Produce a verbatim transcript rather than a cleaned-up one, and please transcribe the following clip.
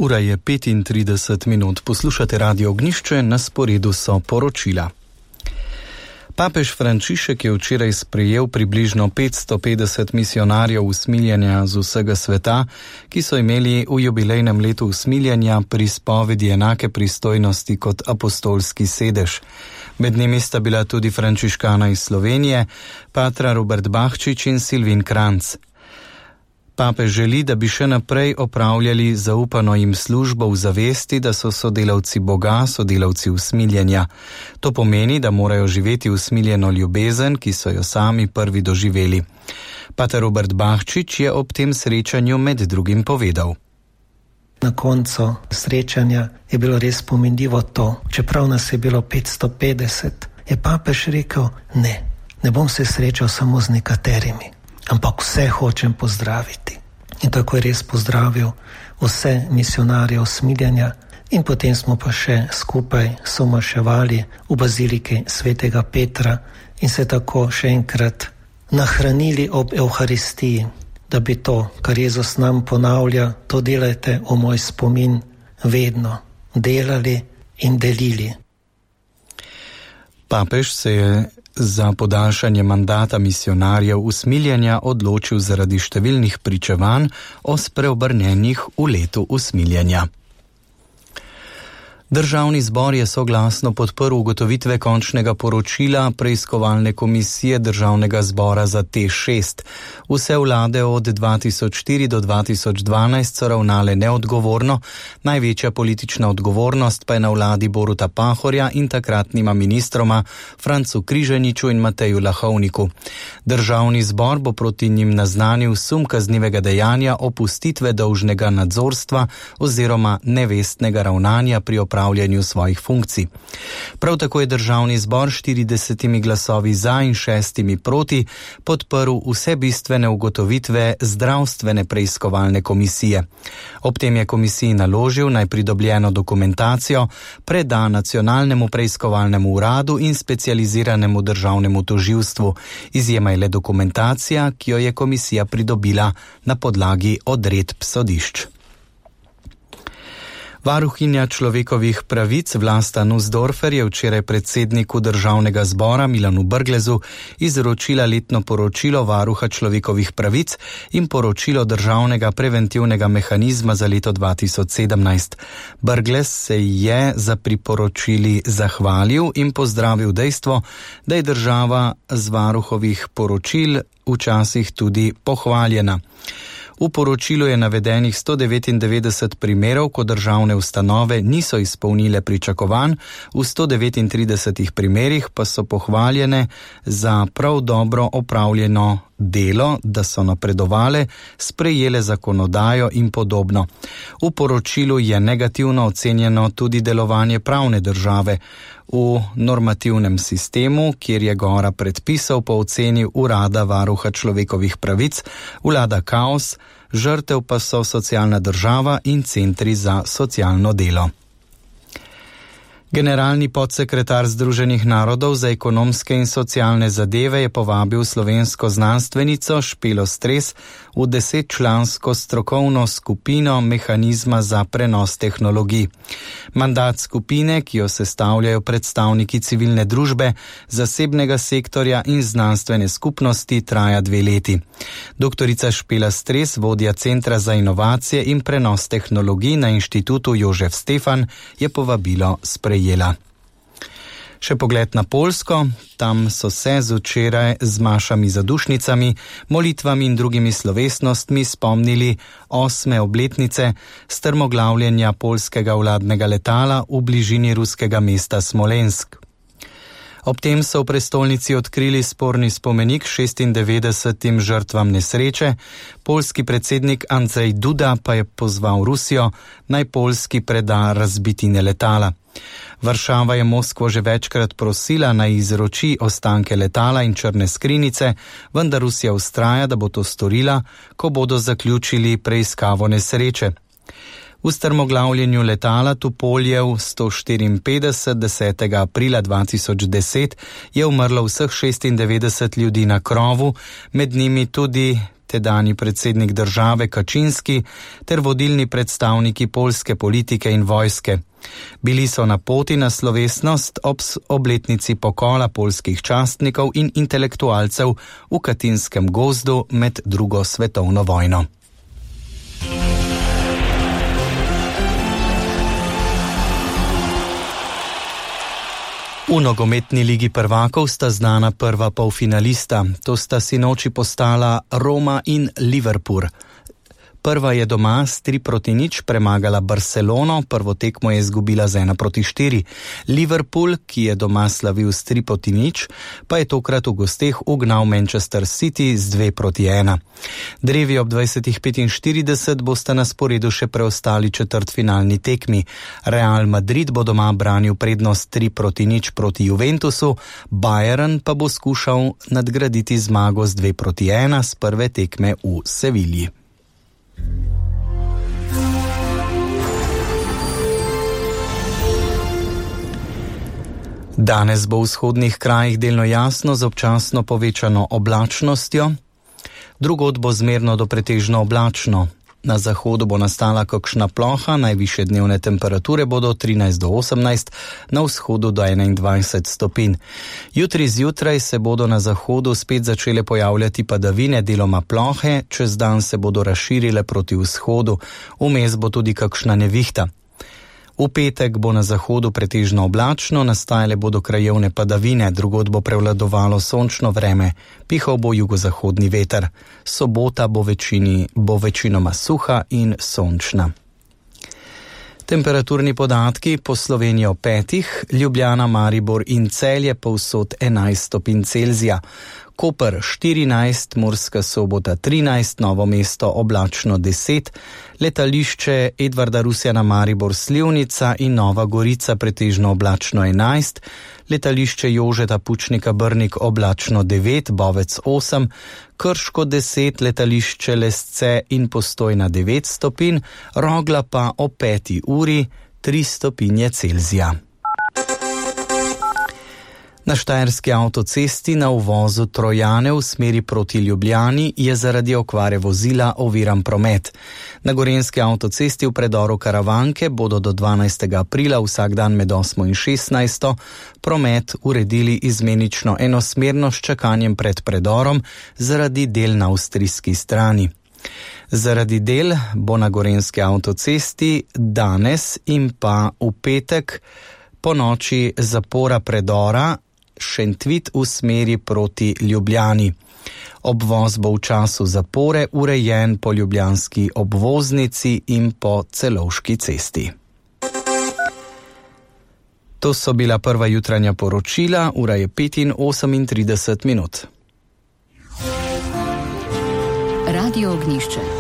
Ura je petintrideset minut, poslušate Radio Ognjišče, na sporedu so poročila. Papež Frančišek je včeraj sprejel približno petsto petdeset misijonarjev usmiljenja z vsega sveta, ki so imeli v jubilejnem letu usmiljenja pri spovedi enake pristojnosti kot apostolski sedež. Med njimi sta bila tudi frančiškana iz Slovenije, patra Robert Bahčič in Silvin Kranc. Papež želi, da bi še naprej opravljali zaupano jim službo v zavesti, da so sodelavci Boga, sodelavci usmiljenja. To pomeni, da morajo živeti usmiljeno ljubezen, ki so jo sami prvi doživeli. Pater Robert Bahčič je ob tem srečanju med drugim povedal. Na koncu srečanja je bilo res pomenljivo to, čeprav nas je bilo petsto petdeset, je papež rekel, ne, ne bom se srečal samo z nekaterimi, ampak vse hočem pozdraviti. In tako je res pozdravil vse misijonarje usmiljenja in potem smo pa še skupaj somaševali v baziliki svetega Petra in se tako še enkrat nahranili ob Evharistiji, da bi to, kar Jezus nam ponavlja, to delajte v moj spomin vedno, delali in delili. Papež se je za podaljšanje mandata misijonarjev usmiljenja odločil zaradi številnih pričevanj o spreobrnenjih v letu usmiljenja. Državni zbor je soglasno podprl ugotovitve končnega poročila preiskovalne komisije Državnega zbora za T šest. Vse vlade od dva tisoč štiri do dva tisoč dvanajst so ravnale neodgovorno, največja politična odgovornost pa je na vladi Boruta Pahorja in takratnima ministroma Francu Križaniču in Mateju Lahovniku. Državni zbor bo proti njim naznanil sum kaznivega dejanja opustitve dolžnega nadzorstva oziroma nevestnega ravnanja pri opravljanju upravljanju svojih funkcij. Prav tako je Državni zbor štiridesetimi glasovi za in šestimi proti podprl vse bistvene ugotovitve zdravstvene preiskovalne komisije. Ob tem je komisiji naložil naj pridobljeno dokumentacijo preda Nacionalnemu preiskovalnemu uradu in specializiranemu državnemu tožilstvu. Izjema je le dokumentacija, ki jo je komisija pridobila na podlagi odredb sodišč. Varuhinja človekovih pravic Vlasta Nussdorfer je včeraj predsedniku Državnega zbora Milanu Brglezu izročila letno poročilo varuha človekovih pravic in poročilo Državnega preventivnega mehanizma za leto dva tisoč sedemnajst. Brglez se je za priporočili zahvalil in pozdravil dejstvo, da je država z varuhovih poročil včasih tudi pohvaljena. V poročilu je navedenih sto devetindevetdeset primerov, ko državne ustanove niso izpolnile pričakovanj, v sto devetintridesetih primerih pa so pohvaljene za prav dobro opravljeno delo, da so napredovale, sprejele zakonodajo in podobno. V poročilu je negativno ocenjeno tudi delovanje pravne države. V normativnem sistemu, kjer je gora predpisov po oceni urada varuha človekovih pravic, vlada kaos, žrtev pa so socialna država in centri za socialno delo. Generalni podsekretar Združenih narodov za ekonomske in socialne zadeve je povabil slovensko znanstvenico Špelo Stres v desetčlansko strokovno skupino mehanizma za prenos tehnologij. Mandat skupine, ki jo sestavljajo predstavniki civilne družbe, zasebnega sektorja in znanstvene skupnosti, traja dve leti. Doktorica Špela Stres, vodja Centra za inovacije in prenos tehnologij na Inštitutu Jožef Stefan, je povabilo sprejela. Jela. Še pogled na Poljsko, tam so se z včeraj z mašami za dušnicami, molitvami in drugimi slovesnostmi spomnili osme obletnice strmoglavljenja poljskega vladnega letala v bližini ruskega mesta Smolensk. Ob tem so v prestolnici odkrili sporni spomenik šestindevetdesetim žrtvam nesreče, poljski predsednik Andrzej Duda pa je pozval Rusijo, naj Poljski preda razbitine letala. Varšava je Moskvo že večkrat prosila, naj izroči ostanke letala in črne skrinjice, vendar Rusija vztraja, da bo to storila, ko bodo zaključili preiskavo nesreče. V strmoglavljenju letala Tupoljev sto štiriinpetdeset desetega aprila dva tisoč deset je umrlo vseh šestindevetdeset ljudi na krovu, med njimi tudi tedanji predsednik države Kačinski ter vodilni predstavniki poljske politike in vojske. Bili so na poti na slovesnost ob obletnici pokola poljskih častnikov in intelektualcev v Katinskem gozdu med drugo svetovno vojno. V nogometni ligi prvakov sta znana prva polfinalista, to sta sinoči postala Roma in Liverpool. Prva je doma s tri proti nič premagala Barcelono, prvo tekmo je izgubila z ena proti štiri. Liverpool, ki je doma slavil s tri proti nič, pa je tokrat v gosteh ugnal Manchester City z dve proti ena. Drevi ob dvajsetih petinštirideset bosta na sporedu še preostali četrtfinalni tekmi. Real Madrid bo doma branil prednost tri proti nič proti Juventusu, Bayern pa bo skušal nadgraditi zmago z dve proti ena z prve tekme v Sevilji. Danes bo v vzhodnih krajih delno jasno z občasno povečano oblačnostjo, drugod bo zmerno do pretežno oblačno. Na zahodu bo nastala kakšna ploha, najvišje dnevne temperature bodo trinajst do osemnajst, na vzhodu do enaindvajset stopinj. Jutri zjutraj se bodo na zahodu spet začele pojavljati padavine, deloma plohe, čez dan se bodo razširile proti vzhodu, vmes bo tudi kakšna nevihta. V petek bo na zahodu pretežno oblačno, nastajale bodo krajevne padavine, drugod bo prevladovalo sončno vreme, pihal bo jugozahodni veter. Sobota bo, večini, bo večinoma suha in sončna. Temperaturni podatki po Sloveniji o petih, Ljubljana, Maribor in Celje povsod enajst stopinj Celzija. Koper štirinajst, Murska Sobota trinajst, Novo mesto oblačno deset, letališče Edvarda Rusjana Maribor Slivnica in Nova Gorica pretežno oblačno enajst, letališče Jožeta Pučnika Brnik oblačno devet, Bovec osem, Krško deset, letališče Lesce in Postojna devet stopinj, Rogla pa o peti uri tri stopinje Celzija. Na štajerski avtocesti na uvozu Trojane v smeri proti Ljubljani je zaradi okvare vozila oviran promet. Na gorenjski avtocesti v predoru Karavanke bodo do dvanajstega aprila vsak dan med osmo in šestnajsto promet uredili izmenično enosmerno s čakanjem pred predorom zaradi del na avstrijski strani. Zaradi del bo na gorenjski avtocesti danes in pa v petek po noči zapora predora Šentvit v smeri proti Ljubljani. Obvoz bo v času zapore urejen po ljubljanski obvoznici in po Celovški cesti. To so bila prva jutranja poročila, ura je pet in osemintrideset minut. Radio Ognjišče.